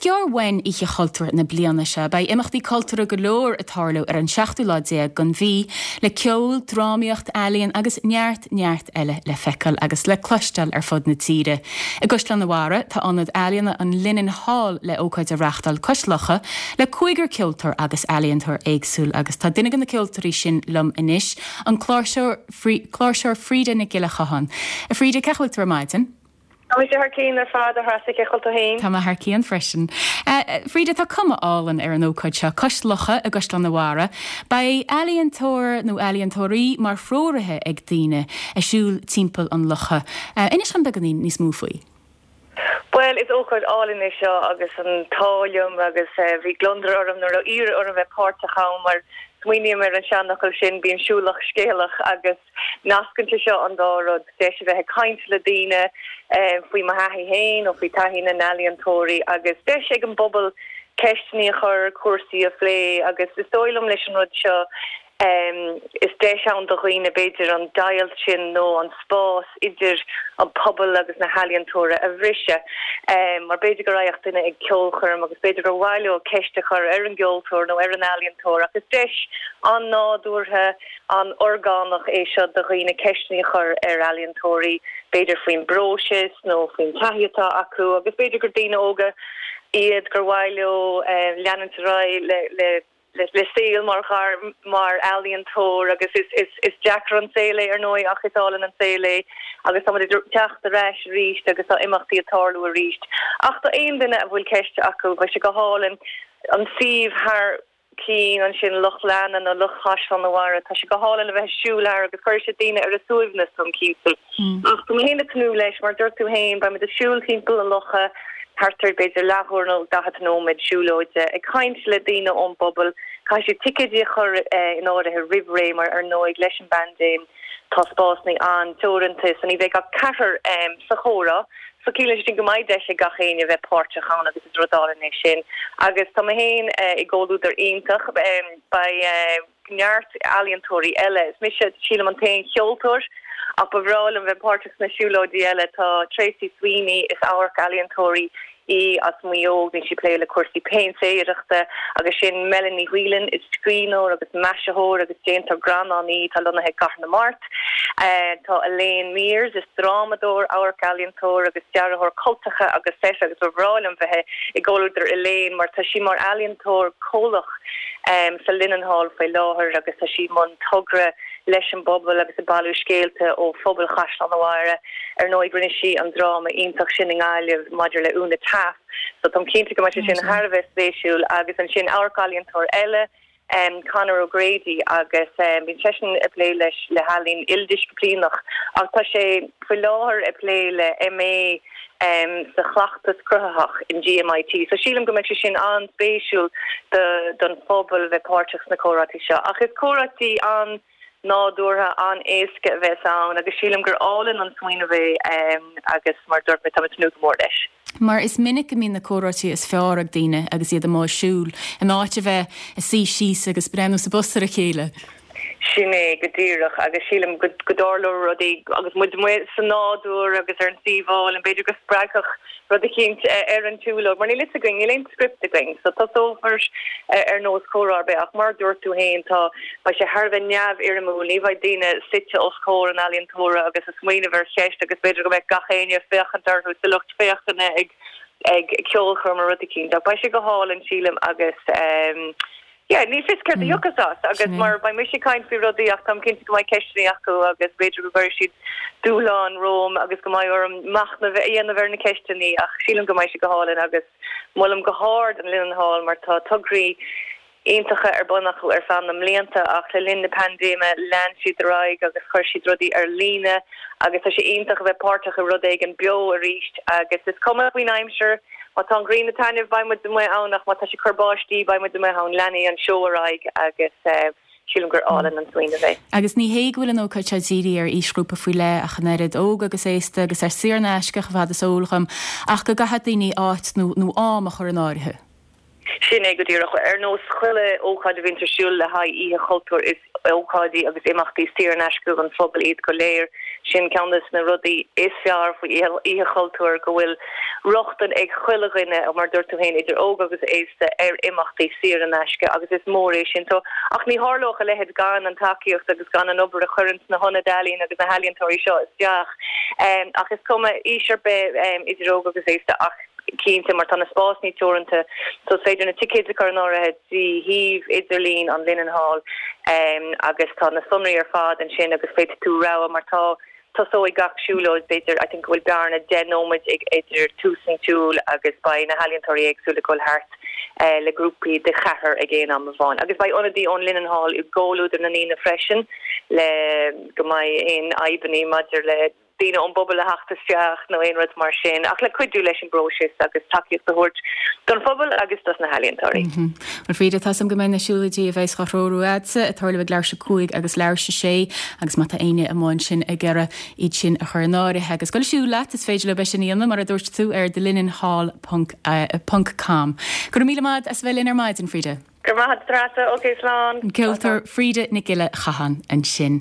gearr uainn Oíche Chultúir na bliana seo. Beidh imeachtaí cultúrtha go leor ag tarlú ar an seachtú lá déag den mhí, le ceol, drámaíocht, ealaíon agus neart, neart eile le feiceáil agus le cloisteáil ar fud na tíre. I gCaisleán an Bharraigh, tá Ionad Ealaíona an Linen Hall le ócáid a reáchtáil cois locha le cúigear ceoltóir agus ealaíontóir éagsúil agus tá duine de na ceoltóirí sin liom anois, an cláirseoir, cláirseoir Frida Nic Giolla Chotháin. A Frida, cén chaoi a bhfuil tú ar maidin? Tá mise thar cionn ar fad, a Threasa, cén chaoi a bhfuil tú féin? Tá mé thar cionn freisin. Frida, tá cuma álainn ar an ócáid seo, cois locha i gCaisleán an Bharraigh. Beidh ealaíontóir nó ealaíontóirí mar threoraithe ag daoine ag siúl timpeall an locha. Inis dom beagáinín níos mó faoi. Bhuel, is ócáid álainn é seo agus an t-ádh liom agus bhí gliondar orm nuair a iarradh orm bheith páirteach ann mar smaoiním ar an seanfhocal sin, bíonn siúlach scéalach agus nascann sé seo an dá rud, deis a bheith ag caint le daoine faoi mo thaithí féin nó faoi taithí na n-ealaíontóirí agus deis ag an bpobal ceisteanna a chur, cúrsaí a phlé agus is dóigh liom leis an rud seo Is deis ann do dhaoine, b'fhéidir, an deighilt sin nó an spás idir an pobal agus na healaíontóirí a bhriseadh. Mar b'fhéidir go raghadh duine ag ceolchoirm agus b'fhéidir gur mhaith leo ceist a chur ar an gceoltóir nó ar an ealaíontóir ach is deis an-nádúrtha, an-orgánach é seo do dhaoine ceisteanna a chur ar ealaíontóirí, b'fhéidir faoin bpróiseas nó faoin taithí atá acu agus b'fhéidir gur daoine óga iad gur mhaith leo leanúint ar aghaidh le le saol mar ghairm mar ealaíontóir agus is is is deacair an saol é ar ndóigh ach is álainn an saol é agus tá muid ag teacht ar ais arís agus tá imeachtaí ag tarlú arís. Ach do aon duine a bhfuil ceist acu beidh sé go hálainn an suíomh thar cionn ansin Loch Leanna nó Loch Chaisleán an Bharraigh tá sé go hálainn a bheith ag siúl thar agus cuirfidh sé daoine ar a suaimhneas táim cinnte. Ach tá mé féin ag tnúth leis, mar dúirt tú féin, beidh muid ag siúl timpeall an locha thart ar b'fhéidir leathuair nó 40 nóiméad siúlóide, ag caint le daoine ón bpobal. Caithfidh siad ticéidí a chur in áirithe roimh ré mar ar ndóigh leis an bpaindéim tá spásanna an-teoranta so ní bheidh ach ceathrar sa chomhrá. So ciallaíonn sé sin go mbeidh deis ag gach éinne bheith páirteach ann agus is rud álainn é sin. Agus tá mé féin i gcomhluadar iontach. Beidh. neart ealaíontóirí eile. Is mise, sílim, an t-aon cheoltóir ach ba bhreá liom bheith páirteach sna siúlóidí eile. Tá Tracey Sweeney, is amharc-ealaíontóir í as Maigh Eo, bíonn sí ag plé le cúrsaí péintéireachta agus sin Melanie Whelan, is scríbhneoir agus maisitheoir agus déantóir greannán í atá lonnaithe i gCathair na Mart. Tá Elaine Mears, is drámadóir, amharc-ealaíontóir agus dearthóir cultacha agus seit agus ba bhreá liom bheith i gcomhluadar Elaine mar tá sí mar ealaíontóir comhlach sa Linen Hall faoi láthair agus tá sí i mbun togra leis an bpobal agus ag bailiú scéalta ó phobal Chaisleán an Bharraigh. Ar ndóigh rinne sí an dráma iontach sin i nGaillimh maidir le Úna Taaffe so táim cinnte go mbeidh sé sin thar a bheith spéisiúil agus ansin amharc-ealaíontóir eile, Conor O'Grady agus bíonn seisean ag plé leis le healaín ildisciplíneach ach tá sé faoi láthair ag plé le MA sa chleachtas cruthaitheach in GMIT. So sílim go mbeidh sé sin an-spéisiúil do don phobal bheith páirteach sna comhráití seo. Ach is comhráití an-nádúrtha, an-éasca a bheas ann agus sílim gur álainn an smaoineamh é agus mar a dúirt mé, táim ag tnúth go mór leis. Mar is minic go mbíonn na comhráití is fearr ag daoine agus iad amuigh ag siúl, in áit a bheith ag suí síos agus breathnú sa bpost ar a chéile. Sin é go díreach, agus sílim go dtarlóidh rudaí agus muid amuigh sa nádúr agus ar an suíomh álainn, b'fhéidir go spreagfadh rud eicínt ar an tsiúlóid, mar níl fhios againn, níl aon script againn, so tosófar ar nós comhrá ar bith, ach mar a dúirt tú féin, tá, beidh sé thar a bheith neamhfhoirmiúil, ní bheidh daoine suite os comhair an ealaíontóra agus ag smaoineamh ar cheist agus b'fhéidir go mbeadh gach éinne ag féachaint orthu sa lucht féachana ag ag ceolchoirm nó rud eicínt, ach beidh sé go hálainn, sílim, agus. Yeah, ní fios céard a thiocfas as agus mar beidh mise ag caint faoi rudaí ach táim cinnte go mbeidh ceisteanna acu agus b'fhéidir go gcuirfidh siad dúshlán romham agus go mbeidh orm machnamh a dhéanamh ar na ceisteanna ach sílim go mbeidh sé go hálainn agus molaim go hard an Linen Hall mar tá tograí iontacha ar bun acu ar feadh na mblianta ach le linn na paindéime lean siad ar aghaidh agus chuir siad rudaí ar líne agus tá sé iontach a bheith páirteach i rud éigin beo arís agus is cuma faoin aimsir Má tá an ghrian ag taitneamh, beidh muid amuigh ann ach má tá sé ag cur báistí, beidh muid amuigh ann. Leanfaidh an seó ar aghaidh agus sílim gur álainn an smaoineamh é. Agus ní hé go bhfuil an ócáid seo dírithe ar aoisghrúpa faoi leith ach an oiread, óg agus aosta agus ar saor in aisce chomh fada is eol dhom, ach go gcaithfidh daoine áit nó nó am a chur in áirithe. Sin é go díreach. Ar nós chuile ócáid a bhíonns ar siúl le haghaidh Oíche Chultúir, is ócáidí agus imeachtaí saor in aisce don phobal iad go léir. Sin ceann de na rudaí is fearr faoi Oíche Chultúir, go bhfuil. rochtain ag chuile dhuine, mar a dúirt tú féin, idir óg agus aosta, ar imeachtaí saor in aisce agus is mór é sin. So, ach ní tharlódh a leithéid gan an tacaíocht agus gan an obair a chuireanns na hionaid ealaíon agus na healaíontóirí seo isteach. Ach is cuma aois ar bith, idir óg agus aosta, ach cinnte mar tá na spásanna teoranta so is féidir na ticéid a chur in áirithe trí shuíomh idirlín an Linen Hall agus tá na sonraí ar fad ansin agus féadfaidh tú rogha mar tá Tosóidh gach siúlóid, b'fhéidir, I think go bhfuil bearna 10 nóiméad idir tús an tsiúil agus beidh na healaíontóirí éagsúla ag dul thart le grúpaí de cheathrar ag aon am amháin. Agus beidh ionadaí ón Linen Hall i gcomhluadar na ndaoine freisin le go mbeidh aon fhadhbannaí maidir le daoine ón bpobal a theacht isteach nó aon rud mar sin ach le cuidiú leis an bpróiseas agus tacaíocht a thabhairt don phobal agus dos na healaíontóirí. Bhuel Frida, tá 'fhios a'm go mbeidh na siúlóidí a bheas á threorú a'dsa ag tarlú ag leathuair tar éis 5 agus leathuair tar éis 6 agus má tá éinne amuigh ansin ag iarraidh iad sin a chur in áirithe agus dul ag siúl leat, is féidir leo é sin a dhéanamh mar a dúirt tú ar thelinenhall ponc ponc com. Go raibh míle maith as a bheith linn ar maidin, Frida. Go raibh maith agat, a Threasa. Ok, slán. An ceoltóir Frida Nic Giolla Chatháin ansin.